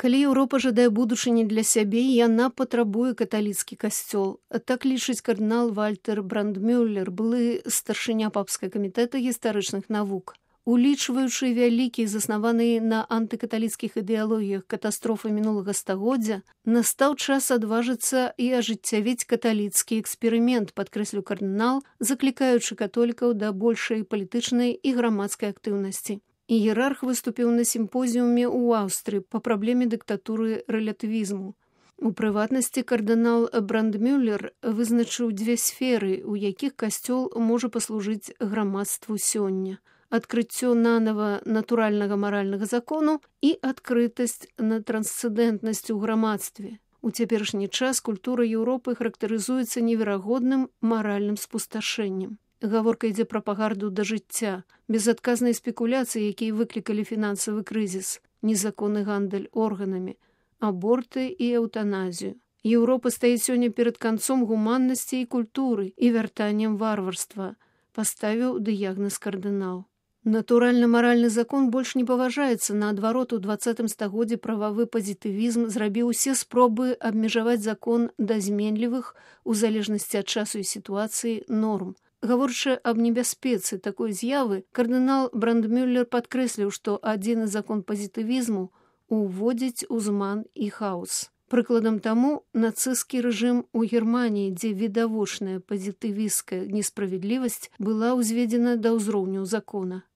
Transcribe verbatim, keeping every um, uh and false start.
Калі Еўропа жадае будучыні для сябе, яна патрабуе каталіцкі касцёл. Так лічыць кардынал Вальтер Брандмюллер, былы старшыня папскага камітэта гістарычных навук. Улічваючы вялікія, заснаваныя на антыкаталіцкіх ідэалогіях катастрофы мінулага стагоддзя, настаў час адважыцца і ажыццявіць каталіцкі эксперымент, падкрэсліў кардынал, заклікаючы католікаў да большай палітычнай і грамадскай актыўнасці. Іерарх выступіў на сімпозіуме ў Аўстрыі па праблеме дыктатуры рэлятывізму. У прыватнасці кардынал Брандмюллер вызначыў дзве сферы, у якіх касцёл можа паслужыць грамадству сёння. Адкрыццё нанава натуральнага маральнага закону і адкрытасць на трансцэндэнтнасць у грамадстве. У цяперашні час культура Еўропы характарызуецца неверагодным маральным спусташэннем. Гаворка ідзе пра пагарду да жыцця, безадказныя спекуляцыі, якія выклікалі фінансавы крызіс, незаконны гандаль органамі, аборты і эўтаназію. Еўропа стаіць сёння перад канцом гуманнасці і культуры і вяртаннем варварства, паставіў дыягназ кардынал. Натуральна-маральны закон больш не паважаецца, наадварот, у дваццатым стагоддзі прававы пазітывізм зрабіў усе спробы абмежаваць закон да зменлівых, у залежнасці ад часу і сітуацыі, норм. Гаворачы аб небяспецы такой з'явы, кардынал Брандмюллер падкрэсліў, што адзіны закон пазітывізму уводзіць узман і хаос. Прыкладам таму нацысцкі рэжым у Германіі, дзе відавочная пазітывісцкая несправядлівасць была ўзведзена да ўзроўню закона.